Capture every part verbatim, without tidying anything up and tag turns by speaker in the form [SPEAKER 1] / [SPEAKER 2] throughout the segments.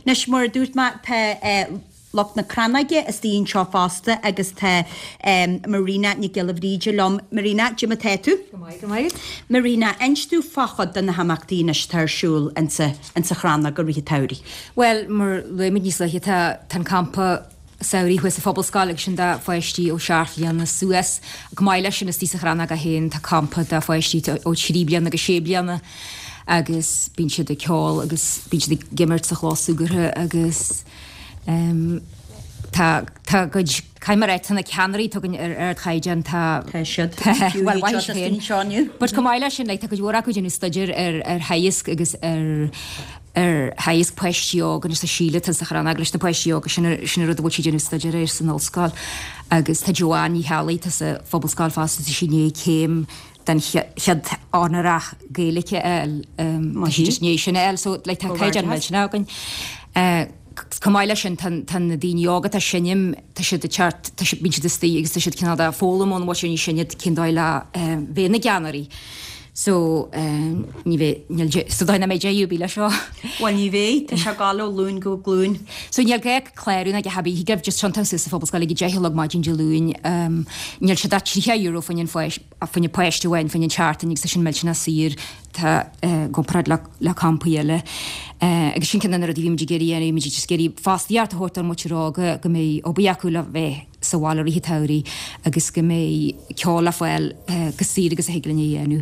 [SPEAKER 1] Anois mar a dúirt mé tá lucht na Crannóige istigh anseo fosta agus tá Marina Nic Giolla Bhríde liom. Marina, cad é mar tá tú?
[SPEAKER 2] Go maith, go maith.
[SPEAKER 1] Marina, inis domh fá chuid de na himeachtaí anois atá ar siúl insa insa Chrannóg i rith an tsamhraidh.
[SPEAKER 2] Well, mar luaigh muid níos luaithe tá tá an campa samhraidh thuas sa Phobalscoil agus sin do pháistí ó seacht bliana suas. Chomh maith leis sin istigh sa Chrannóg féin tá campa do pháistí ó trí bliana go sé bliana agus bíonn siad ag ceol agus bíonn siad ag imirt sa chlós súgartha agus um, tá tá cuid caimré tá na ceannairí atá againn ar ardchaighdeán tá
[SPEAKER 1] Tá siad.
[SPEAKER 2] Well,
[SPEAKER 1] Fiú iad seo anseo inniu.
[SPEAKER 2] But chomh maith leis sin like, tá cuid mhór acu déanamh staidéar ar ar theagasc agus ar ar theagasc páistí óga agus tá Síle tá sa Chrannóg leis na páistí óga sin sin rud a bhfuil sí déanamh staidéar air san ollscoil agus tá Joanne Ní Cheallaigh tá sa Phobalscoil fosta tá sí i ndiaidh céim den chéad onórach Gaeilge a fháil tá sí just i ndiaidh sin a fháil so like, tá caighdeán millteanach againn. Uh, Chomh maith leis sin tá tá na daoine óga atá ag seinm tá siad ag teacht tá siad bíonn siad istigh agus tá siad cineál de foghlaim ón bhfuil sin sin cén dóigh le uh, bheith na gceannairí. So um, ní bheidh níl so dóigh nach mbeidh deireadh ar bith leis seo.
[SPEAKER 1] Well ní bheidh, tá sé ag gabháil ó ghlúin go glúin.
[SPEAKER 2] So níl gá clárú ná a dhath ar bith gabh just tiontú suas sa Phobalscoil ag deich a chlog maidin Dé Luain um, níl sé ach tríocha euro fá choinne fá choinne páiste amháin fá choinne seachtain agus tá sin millteanach saor tá uh, gcomparáid le, le campaí eile. Uh, agus sin ceann de na rudaí bhí muid ag iarraidh a dhéanamh, muid just ag iarraidh fostaíocht a thabhairt don mhuintir óga go mbeidh obair acu le bheith sa bhaile i rith an tsamhraidh agus go mbeidh ceol le fáil uh, go saor agus a thig linn a dhéanamh.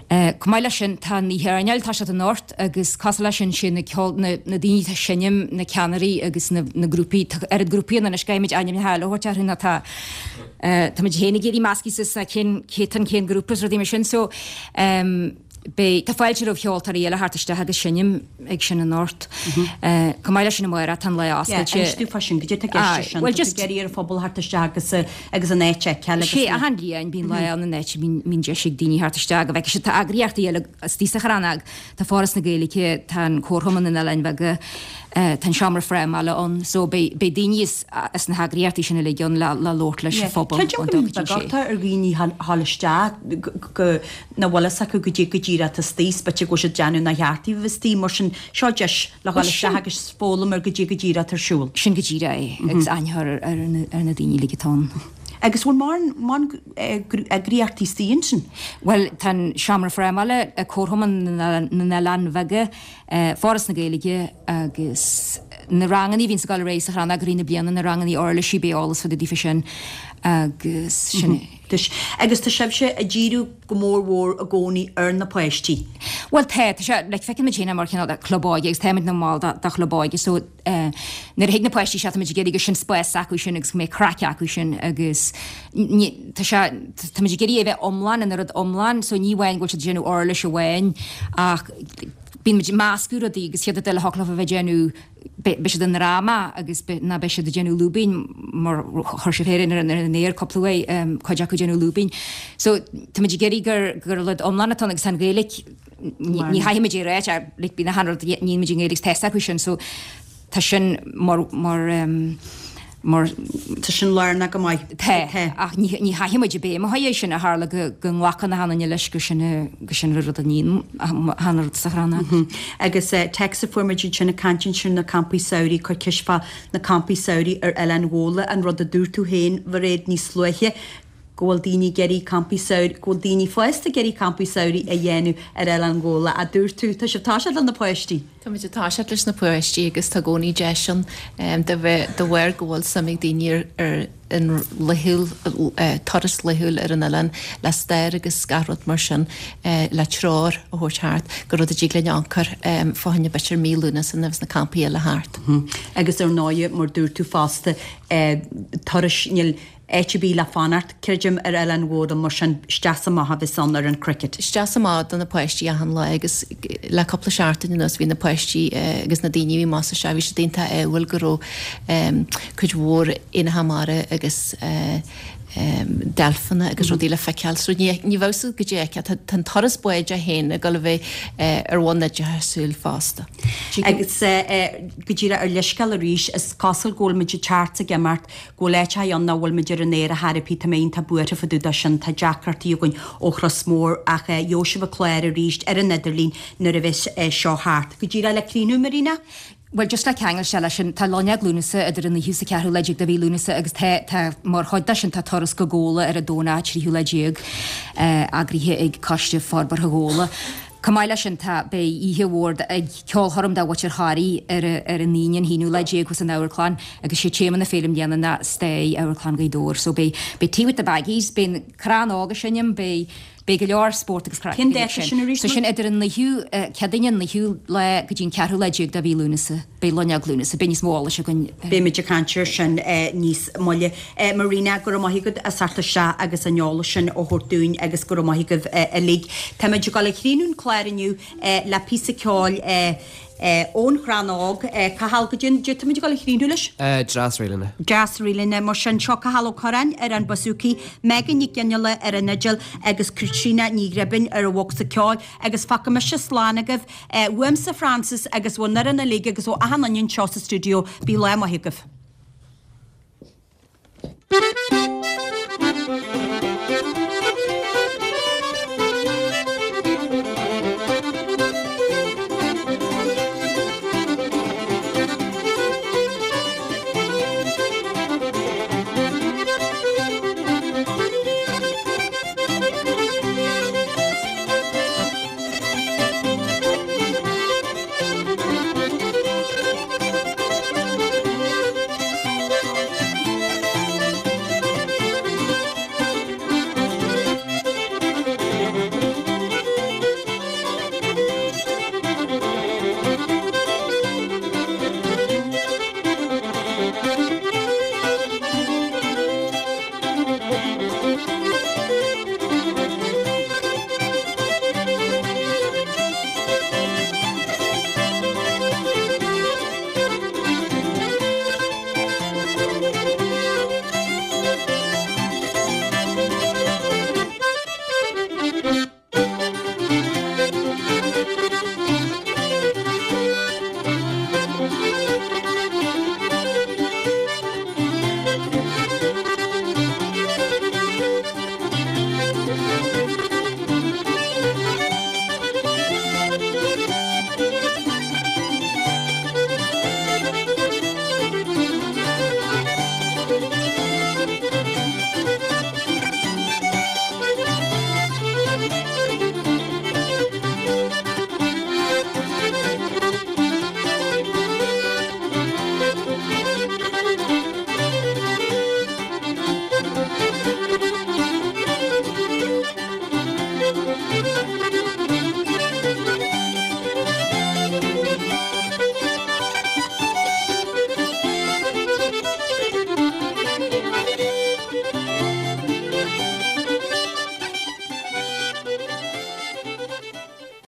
[SPEAKER 2] Uh, Chomh maith leis sin tá an oíche airneáil tá siad anocht agus cosúil leis sin sin na ceol na, na daoine atá ag seinm na ceannairí agus na, na grúpaí tá oiread grúpaí ann anois caithfimid ainmneacha eile a thabhairt orthu ná tá uh, Tá muid féin ag iarraidh measctha suas cén cétan cén grúpa is rudaí mar sin so um, Beidh tá fáilte roimh cheoltóirí eile theacht isteach agus seinm ag sin anocht. Chomh maith leis sin amárach tá an lá oscailte.
[SPEAKER 1] Inis domh fá sin, goidé tá i gceist sin,
[SPEAKER 2] well
[SPEAKER 1] tá
[SPEAKER 2] just
[SPEAKER 1] ag iarraidh ar an phobal theacht isteach agus agus an áit a fheiceáil agus
[SPEAKER 2] Sé achan bhliain bíonn lá ann an áit bíonn deis ag daoine theacht isteach go bhfeicfidh siad tá eagraíochtaí eile istigh sa Chrannóg, tá Foras na Gaeilge, tá an Comharchumann na nOileáin Bheaga, tá an seomra frámála ann, so beidh beidh daoine as as na heagraíochtaí sin uilig ann le le labhairt leis an phobal
[SPEAKER 1] Creidim go mbíonn beagáta ar dhaoine ghabháil isteach go nach bhfuil fhios acu goidé go díreach atá istigh, is b'fhéidir go bhfuil siad déanamh nach cheart daoibh a bheith istigh, mar sin seo deis le ghabháil isteach agus foghlaim ar goidé go díreach atá ar siúl.
[SPEAKER 2] Sin go díreach é agus aithne a chur ar ar na daoine uilig atá ann.
[SPEAKER 1] Agus bhfuil mórán eagraíochtaí istigh ansin?
[SPEAKER 2] Well tá an seomra frámála, Comharchumann na nOileán Bheaga, Foras na Gaeilge agus na ranganna a bhíonn ag dul ar aghaidh sa Chrannóg i rith na bliana, na ranganna uirlisí beidh eolas fá dtaobh daofa sin agus sin é.
[SPEAKER 1] Agus tá sibhse ag díriú go mór mhór i gcónaí ar na páistí.
[SPEAKER 2] Well tá, tá sé, like feiceann muid féin é mar chineál de club óige agus táimid ina mball de, de chlub óige so eh, nuair a thig na páistí seo táimid ag iarraidh gur sin spás acu sin agus go mbeidh craic acu sin agus ní, tá sé, táimid ag iarraidh é bheith iomlán ina rud iomlán so ní amháin go bhfuil siad ag déanamh uirlis amháin ach bíonn muid ag meascadh rudaí agus chéad rud eile thiocfadh leo a bheith ag déanamh beidh siad i ndráma agus ná beidh siad ag déanamh lúibín mar chuir sibh féin ar an aer cúpla uair cuid acu ag déanamh lúibín. So táimid ag iarraidh gur gur rud iomlán atá ann agus tá an Ghaeilge ní chaithfimid é a ráit like bíonn achan rud a níonn muid i nGaeilge agus tá fhios acu sin so tá sin mar mar mar
[SPEAKER 1] Tá sin lárnach go maith.
[SPEAKER 2] Tá, ach ní ní chaithfimid a béim a chur air sin a tharla go go nglacann achan duine leis gur sin gur sin rud a níonn achan rud sa Chrannóg.
[SPEAKER 1] Agus téacs a fuair muid ansin ag caint ansin na campaí samhraidh, cuir ceist fá na campaí samhraidh ar Oileán Ghabhla, an rud a dúirt tú féin, Mhairéad, níos luaithe, go bhfuil daoine ag iarraidh campaí samhraidh, go bhfuil daoine fásta ag iarraidh campaí samhraidh a dhéanamh ar Oileán Ghabhla, a dúirt tú. Tá sibh ag toiseacht le na páistí.
[SPEAKER 3] Tá muid ag toiseacht leis na páistí agus tá i gcónaí deis ann de bheith de bharr go bhfuil suim ag daoine ar ar an laethúil turas laethúil ar an oileán le stair agus gach rud mar sin le treoir a thabhairt thart gur rud a dtig linn amharc air fá choinne b'fhéidir mí Lúnasa nuair a bheas na campaí eile thart.
[SPEAKER 1] Agus ar ndóigh, mar dúirt tú fosta, turais níl áit ar bith le fanacht, creidim, ar Oileán Ghabhla mar sin isteach 's amach a bheas ann ar an Cricket.
[SPEAKER 3] Isteach 's amach do na páistí achan lá agus le cúpla seachtain anuas bhí na páistí agus na daoine a bhí amach is isteach, bhí siad iontach ádhúil go raibh cuid mhór éanacha mara agus deilfeanna agus rudaí le feiceáil so ní ní bheadh siad goidé a fheiceáil. Tá an turas báid é féin ag dul a bheith ar bhonn oideachasúil fosta.
[SPEAKER 1] Agus go díreach ar leithscéal arís, is cosúil go bhfuil muid ag teacht 's ag imeacht, go bhfuil áiteacha ann nach bhfuil muid ar an aer ar chor ar bith, tá mé iontach buartha fá dtaobh de sin, tá deacrachtaí againn ó Chros Mór ach gheobhaidh sibh an clár arís ar an idirlíon nuair a bheas seo thart. Go díreach le críochnú, Marina?
[SPEAKER 2] Bhuel, just le ceangal isteach leis sin, tá Loinnir Lúnasa idir an naoú is an ceathrú lá déag de mhí Lúnasa agus tá, tá, mar chuid de sin tá turas go Gabhla ar an Domhnach tríú lá déag, eagraithe ag Coiste Forbartha Ghabhla. Chomh maith leis sin tá, beidh oíche mhór ag ceolchoirm de mhuintir Thoraí ar, ar an Aoine an haonú lá déag thuas san amharclann agus sé téama na féile i mbliana ná Stair Amharclann Ghaoth Dobhair. So beidh, beidh Tea with the Baggies, beidh an Crann Óg ag seinm, beidh, Beidh go leor spórt agus craic
[SPEAKER 1] Cén dáta sin arís?
[SPEAKER 2] So sin idir an naoú, Céadaoine an naoú lá go dtí an ceathrú lá déag de mhí Lúnasa. Beidh Loinnir Lúnasa. Beidh níos mó eolais againn.
[SPEAKER 1] Beimid ag caint air sin níos moille. Marina, go raibh maith agat as teacht isteach agus an eolas sin a thabhairt dúinn agus go raibh maith agaibh uilig. Táimid ag dul a chríochnú an clár inniu le píosa ceoil. Ón Chrann Óg, Cathal, goidé táimid ag dul a chríochnú leis?
[SPEAKER 4] Dreas Rílinne.
[SPEAKER 1] Dreas Rílinne. Mar sin, seo Cathal Ó Curráin ar an bouzouki, Megan Nic Fhionnghaile ar an fhidil agus Caitríona Ní Ghribín ar an bhocsa ceoil. Agus fágfaidh mise slán agaibh. Uaimse Frances agus ón fhoireann uilig agus ó achan duine anseo sa stiúideo, bíodh lá maith agaibh.